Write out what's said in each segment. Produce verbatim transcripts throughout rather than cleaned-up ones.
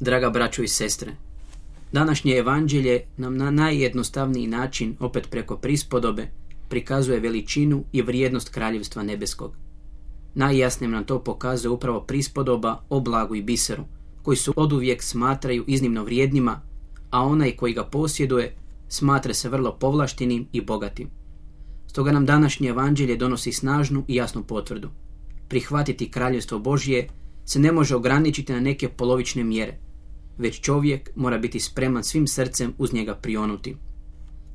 Draga braćo i sestre, današnje evanđelje nam na najjednostavniji način, opet preko prispodobe, prikazuje veličinu i vrijednost kraljevstva nebeskog. Najjasnije nam to pokazuje upravo prispodoba o blagu i biseru, koji su oduvijek smatraju iznimno vrijednima, a onaj koji ga posjeduje smatra se vrlo povlaštenim i bogatim. Stoga nam današnje evanđelje donosi snažnu i jasnu potvrdu. Prihvatiti kraljevstvo Božje se ne može ograničiti na neke polovične mjere, već čovjek mora biti spreman svim srcem uz njega prionuti.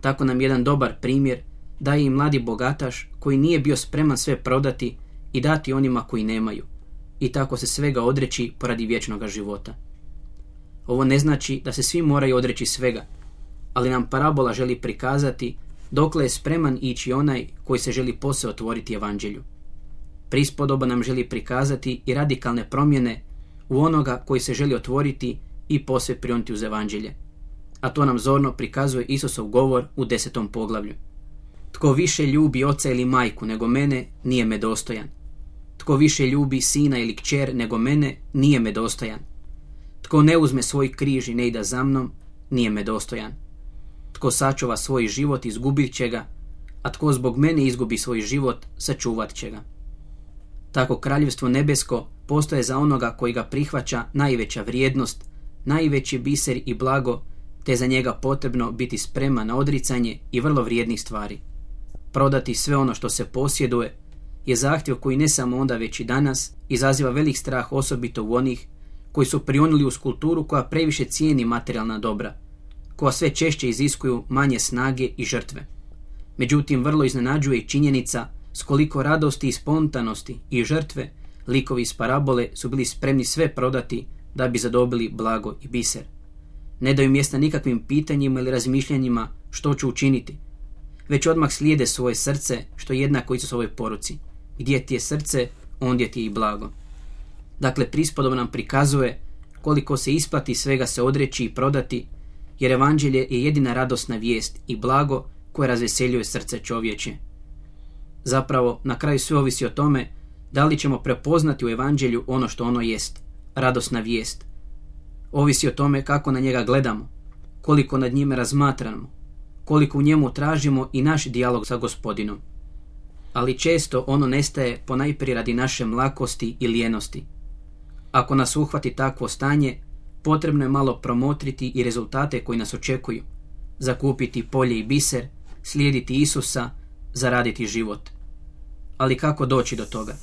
Tako nam jedan dobar primjer daje i mladi bogataš koji nije bio spreman sve prodati i dati onima koji nemaju, i tako se svega odreći poradi vječnoga života. Ovo ne znači da se svi moraju odreći svega, ali nam parabola želi prikazati dokle je spreman ići onaj koji se želi posve otvoriti evanđelju. Prispodoba nam želi prikazati i radikalne promjene u onoga koji se želi otvoriti i posve prionuti uz evanđelje. A to nam zorno prikazuje Isusov govor u desetom poglavlju. Tko više ljubi oca ili majku nego mene, nije me dostojan. Tko više ljubi sina ili kćer nego mene, nije me dostojan. Tko ne uzme svoj križ i ne ide za mnom, nije me dostojan. Tko sačuva svoj život, izgubit će ga, a tko zbog mene izgubi svoj život, sačuvat će ga. Tako kraljevstvo nebesko postoje za onoga koji ga prihvaća najveća vrijednost, najveći biser i blago, te za njega potrebno biti spreman na odricanje i vrlo vrijednih stvari. Prodati sve ono što se posjeduje je zahtjev koji ne samo onda već i danas izaziva velik strah, osobito u onih koji su prionuli uz kulturu koja previše cijeni materijalna dobra, koja sve češće iziskuju manje snage i žrtve. Međutim, vrlo iznenađuje i činjenica s koliko radosti i spontanosti i žrtve likovi iz parabole su bili spremni sve prodati da bi zadobili blago i biser. Ne daju mjesta nikakvim pitanjima ili razmišljanjima što ću učiniti, već odmah slijede svoje srce, što je jednako Isusovoj poruci. Gdje ti je srce, ondje ti je i blago. Dakle, prispodoba nam prikazuje koliko se isplati svega se odreći i prodati, jer evanđelje je jedina radosna vijest i blago koje razveseljuje srce čovječe. Zapravo, na kraju sve ovisi o tome da li ćemo prepoznati u evanđelju ono što ono jest, radosna vijest. Ovisi o tome kako na njega gledamo, koliko nad njime razmatramo, koliko u njemu tražimo i naš dijalog sa Gospodinom. Ali često ono nestaje ponajprije radi naše mlakosti i lijenosti. Ako nas uhvati takvo stanje, potrebno je malo promotriti i rezultate koji nas očekuju, zakupiti polje i biser, slijediti Isusa, zaraditi život. Ali kako doći do toga?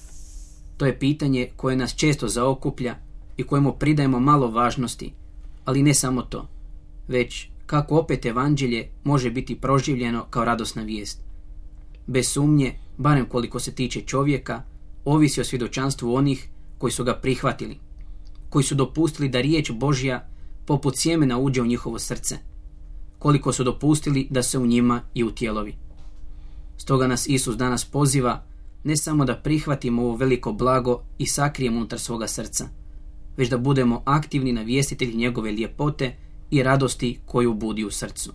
To je pitanje koje nas često zaokuplja i kojemu pridajemo malo važnosti, ali ne samo to, već kako opet evanđelje može biti proživljeno kao radosna vijest. Bez sumnje, barem koliko se tiče čovjeka, ovisi o svjedočanstvu onih koji su ga prihvatili, koji su dopustili da riječ Božja poput sjemena uđe u njihovo srce, koliko su dopustili da se u njima i utjelovi. Stoga nas Isus danas poziva ne samo da prihvatimo ovo veliko blago i sakrijemo unutar svoga srca, već da budemo aktivni navjestitelji njegove ljepote i radosti koju budi u srcu.